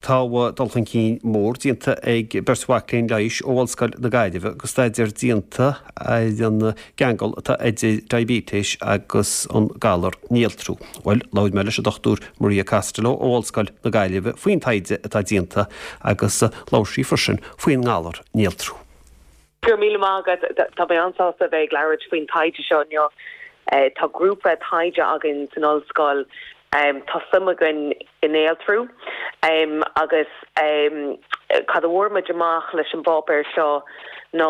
Tá dul chun cinn mór déanta ag beirt mhac léinn leighis ó Ollscoil na Gaillimhe agus staidéar déanta ar an gceangal atá idir diaibéitéis agus an galar néaltrú. Bhuel, labhair mé leis an Dr Maria Costello ó Ollscoil na Gaillimhe faoin taighde atá déanta agus labhair sí freisin faoin ngalar néaltrú. Go raibh míle maith agat. Tá mé an-sásta a bheith ag labhairt faoin taighde seo inniu. Tá grúpa taighde againn san ollscoil. Tá suim againn i néaltrú agus cad a bhfuair muid amach leis an bpáipéar seo ná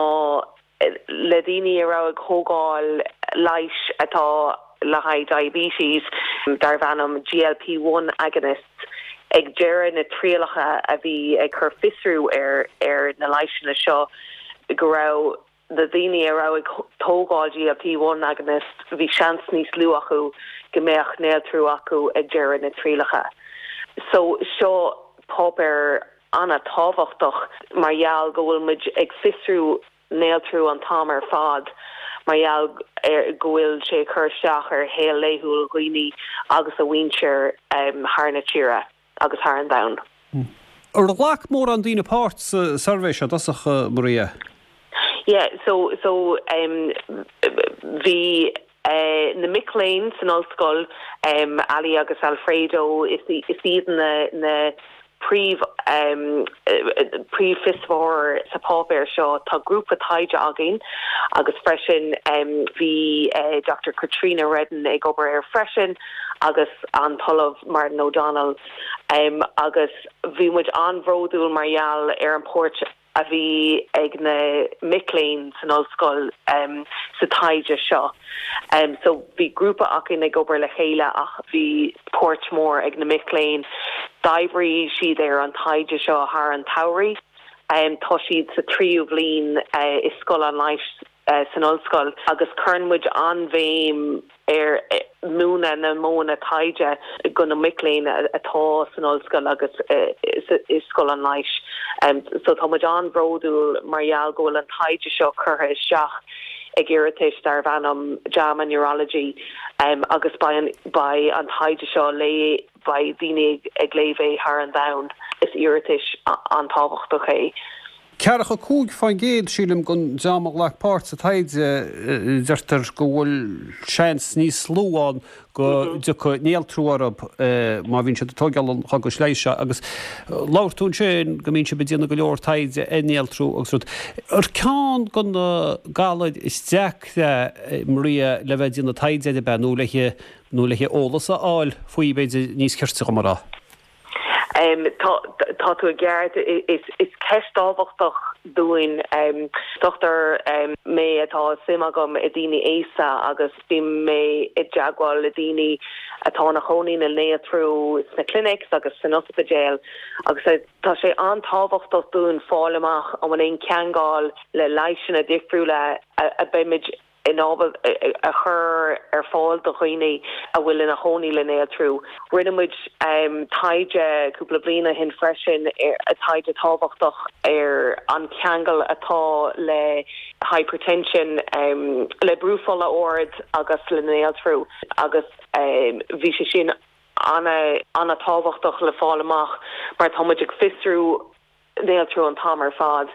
le daoine a raibh ag thógáil leighis atá le haghaidh diabetes darbh ainm GLP-1 agonists ag deireadh na trialacha a bhí ag cur fiosrú ar ar na leigheasanna seo go raibh na daoine a raibh ag tógáil GLP-1 agonists bhí seans níos lú acu go mbeadh néaltrú acu ag deireadh na trialacha. So seo páipéar an-tábhachtach mar gheall go bhfuil muid ag fiosrú néaltrú an t-am ar fad mar gheall ar go bhfuil sé ag cur isteach ar shaol laethúil dhaoine agus a mhuintir thar na tíre agus thar an domhan. Ar ghlac mórán daoine páirt sa suirbhé seo i dtosach, Maria? Yeah, so, so bhí na mic léinn san ollscoil, Ali agus Alfredo, is iad na príomh príomhfhiosraitheoir sa pháipéar seo. Tá grúpa taighde againn agus freisin bhí Doctor Katrina Redden ag obair air freisin agus an tOllamh Martin O'Donnell agus bhí muid an-bhródúil mar gheall ar an páirt a bhí ag na mic léinn san ollscoil sa taighde seo. So bhí grúpa againn ag obair le chéile ach bhí páirt mhór ag na mic léinn. D'oibrigh siad ar an taighde seo thar an tsamhraidh. Tá siad sa tríú bhliain i Scoil an Leighis san ollscoil agus cuireann muid an-bhéim ar mhúineadh na modhanna taighde go na mic léinn atá san ollscoil agus i Scoil an Leighis. So tá muid an-bhródúil mar gheall go bhfuil an taighde seo curtha isteach ag iris darbh ainm JAMA Neurology agus beidh beidh an taighde seo le beidh daoine ag léamh é thar an domhan. Is iris an-tábhachtach é. Ceathracha 5%, sílim, den dream a ghlac páirt sa taighde, deirtear go bhfuil seans níos lú ann go dtiocfaidh néaltrú orthu má bhíonn siad ag tóigeáil an chógais leighis seo. Agus labhair tú ansin go mbíonn sibh ag déanamh go leor taighde ar néaltrú agus rud. Ar ceann de na galair is deacra, Maria, le bheith ag déanamh taighde air ab ea nó le nó le eolas a fháil faoi, b'fhéidir, níos cirte dhom a rá? Tá tú i gceart. Is ceist tábhachtach dúinn. Dochtúir mé atá suim agam i daoine aosta agus bíonn mé i dteagmháil le daoine atá ina chónaí le néaltrú sna clinics agus san ospidéal agus tá sé an-tábhachtach dúinn fáil amach an bhfuil aon cheangal le leigheasanna difriúla a beimid in ábalta a chur ar fáil do dhaoine a bhfuil ina chónaí le néaltrú. Rinne muid taighde cúpla bliain ó shin freisin, taighde tábhachtach ar an cheangal atá le hypertension, le brú fola ard agus le néaltrú agus bhí sé sin an-tábhachtach le fáil amach mar tá muid ag fiosrú néaltrú an t-am ar fad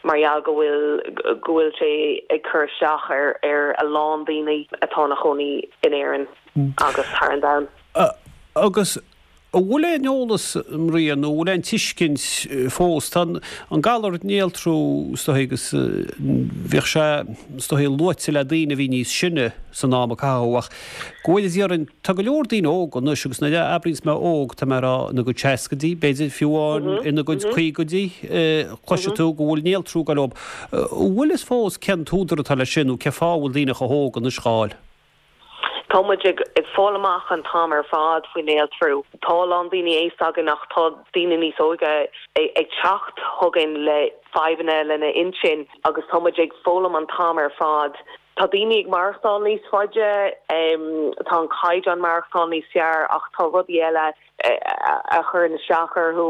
mar gheall go bhfuil go bhfuil sé ag cur isteach ar ar a lán daoine atá ina chónaí in Éirinn agus thar an domhan. Agus an bhfuil aon eolas, Maria, nó an bhfuil aon tuiscint fós, tá an galar néaltrú is dóigh agus bhíodh sé is dóigh luaite le daoine a bhí níos sine san am a caitheadh ach go bhfuil déarfainn, tá go leor daoine óga anois agus nuair a abraíonns mé óg tá mé ag rá ina gcuid seascaidí, b'fhéidir fiú amháin ina gcuid caogaidí, cloisfidh tú go bhfuil néaltrú ag goil leo. An bhfuil fhios fós cén t-údar atá leis sin nó cén fáth a bhfuil daoine chomh hóg anois dhá fháil? Tá muid ag fáil amach an t-am ar fad faoi néaltrú. Tá a lán daoine aosta againn ach tá daoine níos óige ag teacht chugainn le fadhbanna lena intinn agus tá muid ag foghlaim an t-am ar fad. Tá daoine ag maireachtáil níos faide, tá an caighdeán maireachtáil níos fearr ach tá rudaí eile a chuireann isteach orthu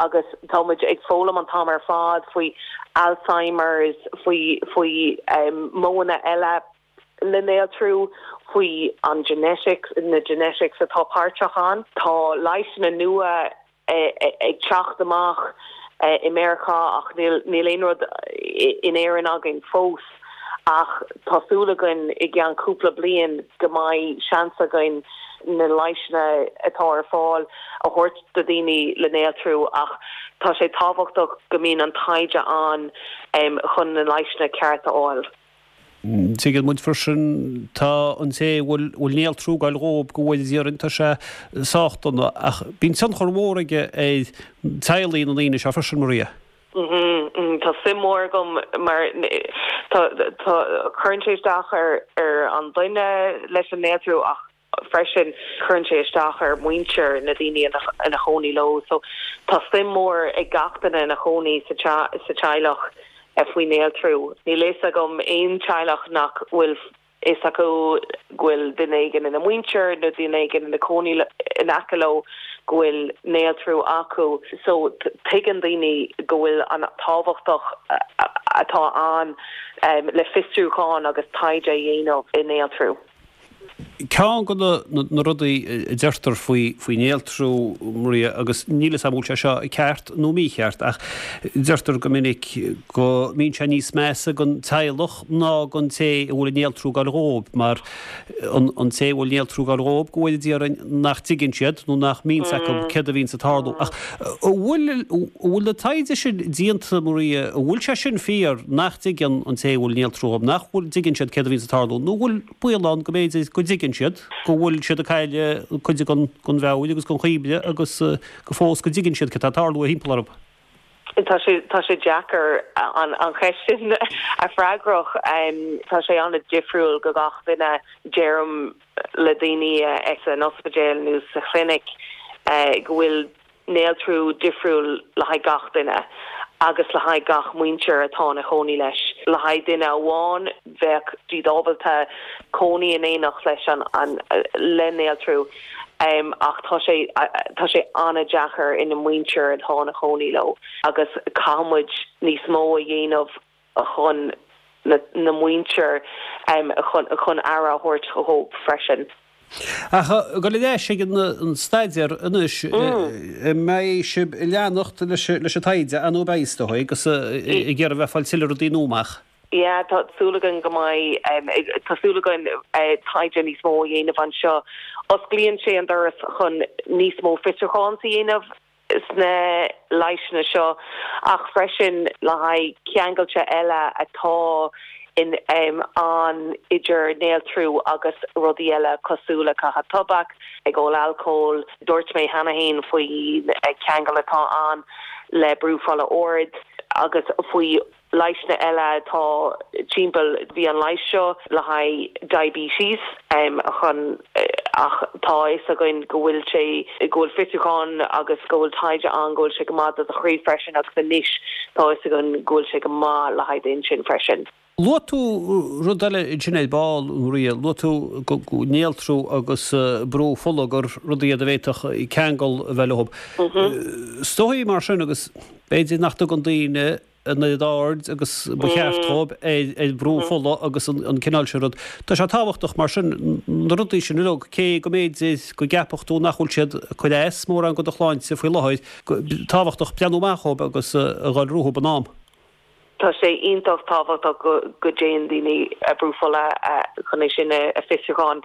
agus tá muid ag foghlaim an t-am ar fad faoi Alzheimer's, faoi faoi modhanna eile le néaltrú, faoi an genetics, na genetics atá páirteach ann. Tá leigheasanna nua. ag teacht amach i Meiriceá ach níl níl aon rud in Éirinn againn fós ach tá súil againn i gceann cúpla bliain go mbeidh seans againn na leigheasanna atá ar fáil a thabhairt do dhaoine le néaltrú ach tá sé tábhachtach go mbíonn an taighde ann chun na leigheasanna ceart a fháil. Tuigeann muid freisin, tá an té a bhfuil bhfuil néaltrú ag goil dhób go bhfóire Dia orainn, tá sé sách dona ach bíonn tionchar mhór aige ar teaghlaigh na ndaoine seo freisin, Maria. Tá suim mhór agam mar tá tá cuireann sé isteach ar ar an duine leis an néaltrú ach freisin cuireann sé isteach ar mhuintir na daoine ina chónaí leo. So tá suim mhór ag gach duine ina chónaí sa sa teaghlach faoi néaltrú. Níl fhios agam aon teaghlach nach bhfuil fhios acu go bhfuil duine éigin ina muintir nó duine éigin ina cónaí in aice leo go bhfuil néaltrú acu. So tuigeann daoine go bhfuil an tábhachtach atá ann le fiosrúchán agus taighde a dhéanamh i néaltrú. Ceann de na rudaí a deirtear faoi néaltrú, Maria, agus níl 'fhios a'm an bhfuil sé seo ceart nó mícheart, ach deirtear go minic go mbíonn sé níos measa don teaghlach ná don té a bhfuil an néaltrú ag goil dhóib, mar an té a bhfuil néaltrú ag goil dhóib, go bhfóire Dia orainn, nach dtuigeann siad nó nach mbíonn 's acu céard a bhíonns ag tarlú. Ach an bhfuil, an bhfuil na taighde sin déanta, Maria, an bhfuil sé sin fíor, nach dtuigeann an té a bhfuil néaltrú dhóib, nach bhfuil, dtuigeann siad céard a bhíonns ag tarlú, nó an bhfuil baol ann go mb'fhéidir go dtuigeann siad go bhfuil siad ag cailleadh cuid den mheabhair agus den chuimhne agus go fós go dtuigeann siad cad tá ag tarlú thimpeall orthu. Tá sé, tá sé deacair an cheist sin a freagrach. Tá sé an-difriúil go gach duine. Deirim le daoine san ospidéal nó sa chlinic go bhfuil néaltrú difriúil le haghaidh gach duine agus le haghaidh gach muintir atá ina chónaí leis. Le haghaidh duine amháin, bheadh siad ábalta cónaí in éineacht leis an le néaltrú ach tá sé tá sé an-deacair ina muintir atá ina chónaí leo agus caithfidh muid níos mó a dhéanamh chun na muintir chun aire a thabhairt dhóibh freisin. Ach ag dul ar ais ag an staidéar anois, an mbeidh sibh ag leanacht leis an taighde, ar ndóigh beidh is dóigh, agus ag iarraidh bheith ag fáil tuilleadh rudaí nua amach? Yeah, tá súil againn go mbeidh, tá súil againn taighde níos mó a dhéanamh anseo. Osclaíonn sé an doras chun níos mó fiosrúchán a dhéanamh sna leigheasanna seo ach freisin le haghaidh ceangailte eile atá in ann idir néaltrú agus rudaí eile cosúil le caitheamh tobac, ag ól alcóil. Dúirt mé cheana féin faoin ceangal atá ann le brú fola ard agus faoi Leigheasanna eile atá timpeall, bhí an leigheas seo le haghaidh diabetes chun ach tá a fhios againn go bhfuil sé, go bhfuil fiosrúchán agus go bhfuil taighde ann go bhfuil sé go maith do do chroí freisin agus anois tá a fhios againn go bhfuil sé go maith le haghaidh d'intinn freisin. Luaigh tú rud eile ansin ar ball, Maria, luaigh tú néaltrú agus brú fola gur rudaí iad a bhféadfadh ceangal a bheith leo. Is dóigh mar sin agus b'fhéidir nach dtugann daoine an oiread aird agus ba cheart dhóibh ar bhrú fola agus an cineál sin rud. Tá sé tábhachtach mar sin na rudaí sin uilig, cé go mb'fhéidir go gceapfadh tú nach bhfuil siad ag cur as mórán go do shláinte faoi láthair, tábhachtach breathnú amach dhóibh agus a dhul rompu in am. Tá sé iontach tábhachtach go dtéann daoine a brú fola chun é sin a fiosrúchán.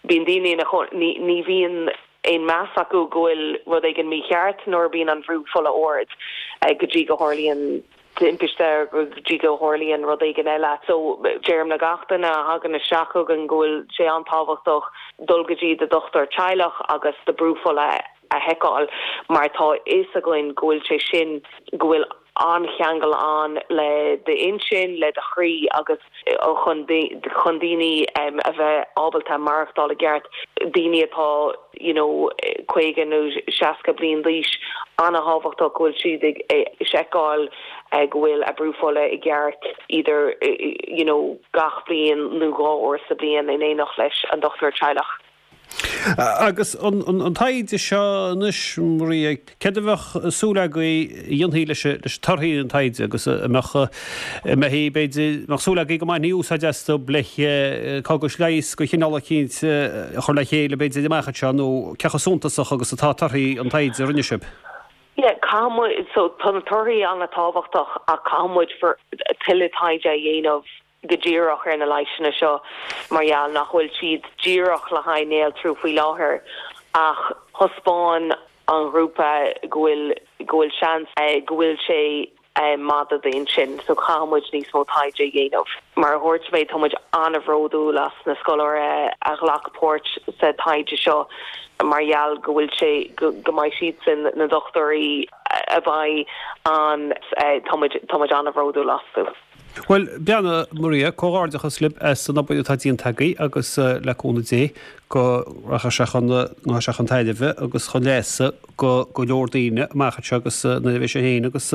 Bíonn daoine ina chónaí, ní bhíonn aon meas acu go bhfuil rud éigin mícheart nuair a bhíonn an bhrú fola ard go dtí go tharlaíonn timpiste go dtí go tharlaíonn rud éigin eile. So deirim le gach duine a thagann isteach chugainn go bhfuil sé an-tábhachtach dul go dtí do dhochtúir teaghlach agus do brú fola a sheiceáil mar tá a fhios againn go bhfuil sé sin go bhfuil an-cheangal ann le d'intinn, le do chroí agus chun chun daoine a bheith ábalta maireachtáil i gceart, daoine atá you know 50 nó 60 bliain d'aois, an-thábhachtach go bhfuil siad ag seiceáil go bhfuil a brú fola i gceart either you know gach bliain nó 2 uair sa bliain in éineacht leis an dochtúir teaghlach. Agus an taighde seo anois, Maria, céard a bheadh súil agaibh a dhéanfaí leis torthaí an taighde agus a mbeadh, a mbeifí, b'fhéidir, mbeadh súil agaibh go mbainfí úsáid astu le cógais leighis de chineál eicínt a chur le chéile, b'fhéidir, amach anseo nó cé chomh suntasach agus atá torthaí an taighde a rinne sibh? Yeah, caithfidh muid, so tá na torthaí an-tábhachtach ach caithfidh muid tuilleadh taighde a dhéanamh go díreach ar na leigheasanna seo mar gheall nach bhfuil siad díreach le haghaidh néaltrú faoi láthair ach thaispeáin an ghrúpa go bhfuil go bhfuil seans go bhfuil sé maith do d'intinn so caithfidh muid níos mó taighde a dhéanamh. Mar a dhúirt mé tá muid an-bhródúil as na scoláirí a ghlac páirt sa taighde seo mar gheall go bhfuil sé go mbeidh siadsan na dochtúirí a bheidh ann tá muid tá muid an-bhródúil astu. Bhuel, beannacht Maria, comhghairdeachas libh as an obair atá déanta agaibh agus le cúnamh Dé go rachaidh sé chun rachaidh sé chun tairbhe agus chun leasa go go leor daoine amach anseo agus nuair a bheidh sé féin agus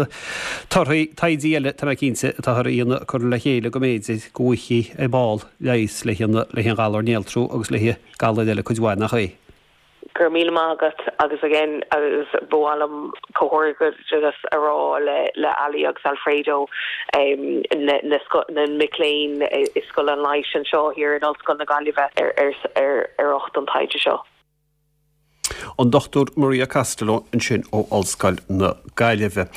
torthaí taighde eile, tá mé cinnte, atáthar a dhéanamh curtha le chéile go mb'fhéidir go bhfaighfí ar ball leigheas le haghaidh an ghalar néaltrú agus le haghaidh galair eile cuid mhaith, nach é? Go raibh míle maith agat agus again agus ba mhaith liom comhghairdeachas a rá le le Ali agus Alfredo na na na mic léinn i Scoil an Leighis anseo thiar in Ollscoil na Gaillimhe ar ar ar ar ucht an taighde seo. An Dr Maria Costello ansin ó Ollscoil na Gaillimhe.